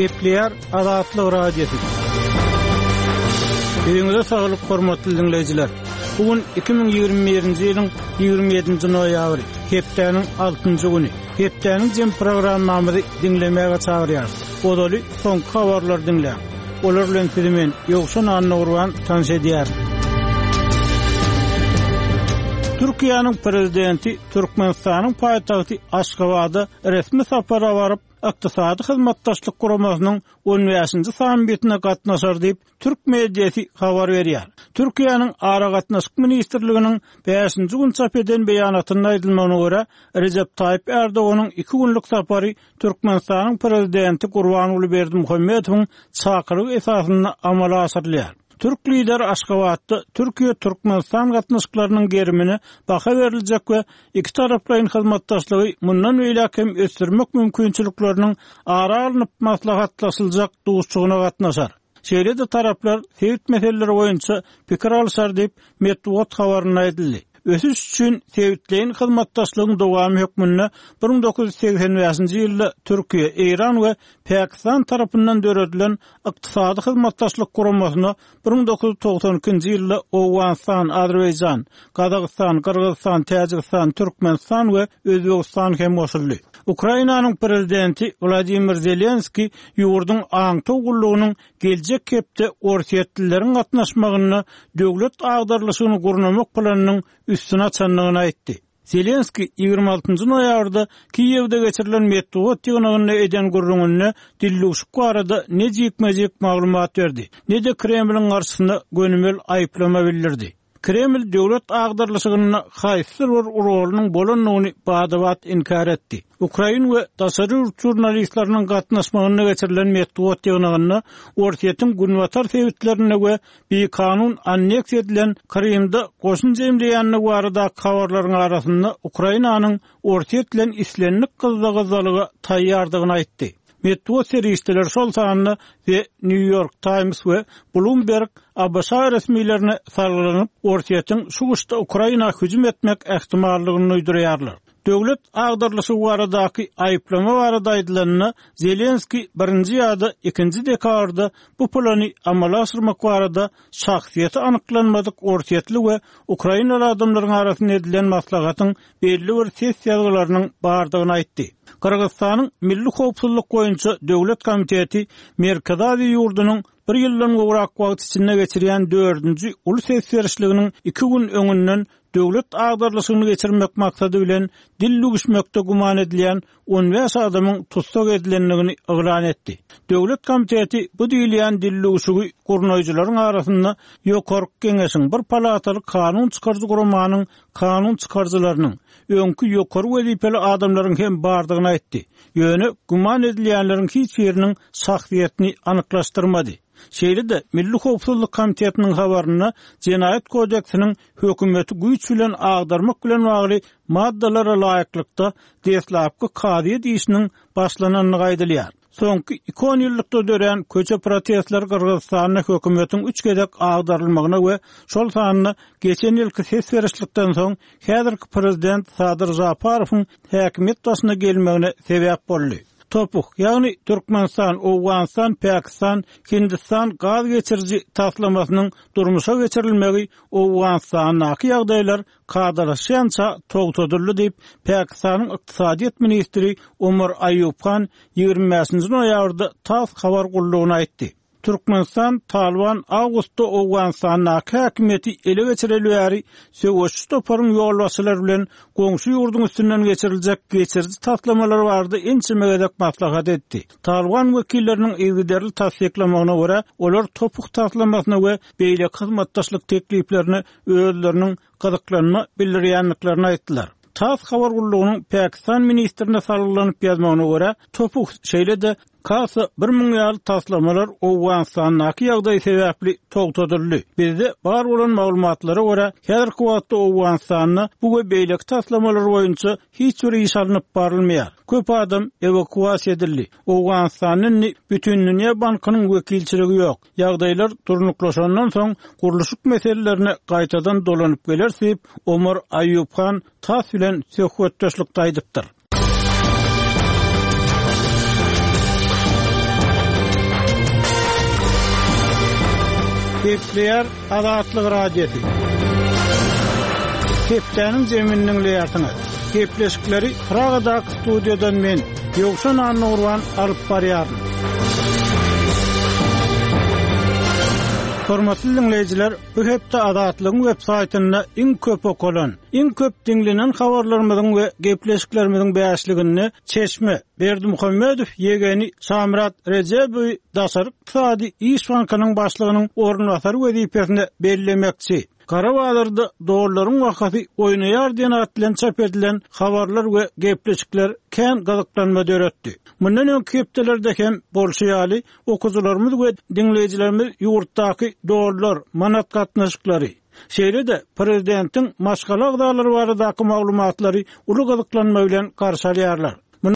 Gepleýär Azatlyk Radiosy. Öýüňize saglyk hormatly diňleýjiler. Bu gün 2021-nji ýylyň 27-nji noýabry, hepdäniň altynjy güni. Hepdäniň jem programmamyzy diňlemäge çagyrýarys. Ozaly soňky habarlary diňläň. Olar bilen sizi men, Ýowşan Annagurban tanyş edýärin. Türkiýäniň Prezidenti Türkmenistanyň paýtagty Aşgabada resmi sapara baryp, Ykdysady Hyzmatdaşlyk Guramasynyň on bäşinji sammitine gatnaşar diýip, türk mediasy habar berýär. Türkiýäniň Aragatnaşyk ministrliginiň bäşinji gün çap eden beýanatynda aýdylmagyna görä, Rejep Taýyp Ärdoganyň iki günlük sapary Türkmenistanyň Prezidenti Gurbanguly Berdimuhamedowyň çakylygy esasynda amala aşyrylýar. Türk lideri Aşgabatda Türkiýe-Türkmenistan gatnaşyklarynyň gerimine baha beriljek we ikitaraplaýyn hyzmatdaşlygy mundan beýläk hem ösdürmek mümkinçilikleriniň ara alnyp maslahatlaşyljak duşuşygyna gatnaşar. Şeýle-de taraplar sebit meseleleri boýunça pikir alşar diýip, metbugat habarynda aýdyldy. Ösüş üçin sebitleýin hyzmatdaşlygyň dowamy hökmünde 1985-nji ýylda Türkiýe, Eýran we Pakistan tarapyndan döredilen Ykdysady Hyzmatdaşlyk Guramasyna 1992-nji ýylda Owganystan, Azerbaýjan, Gazagystan, Gyrgyzystan, Täjigistan, Türkmenistan we Özbegistan hem goşuldy. Ukrainanyň prezidenti Wladimir Zelenskiý ýurduň aňtaw gullugynyň geljek hepde orsýetlileriň gatnaşmagynda döwlet agdarylyşygyny gurnamak planynyň üstüni açandygyny aýtdy. Zelenskiý 26 noýabrda Kiýewde geçirilen metbugat ýygnagynda eden gürrüňinde dildüwşük barada ne jikme-jik maglumat berdi, ne-de Kremliň garşysyna gönümel aýyplama bildirdi. Kreml döwlet agdarylyşygynda haýsydyr bir rolunyň bolandygyny bada-bat inkär etdi. Ukrain we daşary ýurt žurnalistleriniň gatnaşmagynda geçirilen metbugat ýygnagynda Orsýetiň günbatar sebitlerinde we bikanun anneksiýa edilen Krymda goşun jemleýändigi baradaky habarlaryň arasynda Ukrainanyň Orsýet bilen islendik gyzza-gyzzalyga taýýardygyny aýtdy. Metbugat serişdeleri, şol sanda The New York Times we Bloomberg ABŞ resmilerine salgylanyp, Orsýetiň şu gyşda Ukraina hüjüm etmek ähtimallygyny duýdurýarlar. Döwlet agdarylyşygy baradaky aýyplama barada aýdylanda, Zelenskiý birinji ýa-da ikinji dekabrda bu plany amala aşyrmak barada şahsyýeti anyklanmadyk orsýetli we ukrainaly adamlaryň arasynda edilen maslahatyň belli bir ses ýazgylarynyň bardygyny aýtdy. Gyrgyzystanyň Milli howpsuzlyk boýunça döwlet komiteti Merkezi Aziýa ýurdunyň bir ýyldan gowrak wagt içinde geçirýän dördünji uly ses berişliginiň iki gün öňünden döwlet agdarylyşygyny geçirmek maksady bilen dil düwüşmekde güman edilýän 15 adamyň tussag edilendigini yglan etdi. Döwlet komiteti bu diýilýän dildüwşügi gurnaýjylaryň arasynda Ýokarky Geňeşiň, bir palataly kanun çykaryjy guramanyň kanun çykaryjylarynyň, öňki ýokary wezipeli adamlaryň hem bardygyny aýtdy. Ýöne güman edilýänleriň hiç biriniň şahsyýetini anyklaşdyrmady. Şeýle-de, Milli howpsuzlyk komitetiniň habarynda Jenaýat kodeksiniň hökümeti güýç bilen agdarmak bilen bagly maddalara laýyklykda deslapky kazyýet işiniň başlanandygy aýdylýar. Soňky iki onýyllykda dörän köçe protestleri Gyrgyzystanda hökümetiň üç gezek agdarylmagyna we şol sanda geçen ýylky ses berişlikden soň häzirki prezident Sadyr Žaparowyň häkimiýet başyna gelmegine sebäp boldy. TOPH, ýagny Türkmenistan, Owganystan, Pakistan, Hindistan gaz geçiriji taslamasynyň durmuşa geçirilmegi Owganystandaky ýagdaýlar kadalaşýança togtadyldy diýip, Pakistanyň ykdysadyýet ministri Omar Aýub Han 25-nji noýabrda tass habar gullugyna aýtdy. Türkmenistan Talyban awgustda Owganystandaky häkimiýeti ele geçireli bäri söweşçi toparyň ýolbaşçylary bilen goňşy ýurduň üstünden geçiriljek geçiriji taslamalar barada ençeme gezek maslahat etdi. Talyban wekilleriniň yzygiderli tassyklamagyna görä, olar TOPH taslamasyna we beýleki hyzmatdaşlyk tekliplerine özleriniň gyzyklanma bildirýändiklerini aýtdylar. Tass habar gullugynyň Pakistan ministrine salgylanyp ýazmagyna görä, TOPH şeýle-de Kasa 1000 ýaly taslamalar Owganystandaky ýagdaý sebäpli togtadyldy. Bizde bar bolan maglumatlara görä, häzirki wagtda Owganystanda bu we beýleki taslamalar boýunça hiç bir iş alnyp barylmaýar. Köp adam ewakuasiýa edildi. Owganystanda indi Bütindünýä bankynyň wekilçiligi ýok. Ýagdaýlar durnuklaşandan soň gurluşyk meselelerine gaýtadan dolanyp geleris diýip, Omar Aýub Han tass bilen söhbetdeşlikde aýdypdyr. Gepleýär Azatlyk Radiosy. Hepdäniň jemini diňleýärsiňiz. Gepleşikleri Pragadaky studiýadan men, Ýowşan Annagurban alyp barýaryn. Hormatly diňleýjiler, bu hepde Azatlygyň web saýtynda iň köp okalan, iň köp diňlenen habarlarymyzyň we gepleşiklerimiziň bäşliginde Çeşme, Berdimuhamedow ýegeni Şamyrat Rejebowy Daşary ykdysady iş bankynyň başlygynyň orunbasary wezipesine bellemekçi. Gara bazarda dollaryň bahasy oýnaýar diýen at bilen çap edilen habarlar we gepleşikler kän gyzyklanma döretdi. Mundan öňki hepdelerde hem bolşy ýaly, okyjylarymyz we diňleýjilerimiz ýurtdaky dollar, manat gatnaşyklary, şeýle-de prezidentiň maşgala agzalary baradaky maglumatlary uly gyzyklanma bilen garşy alýarlar.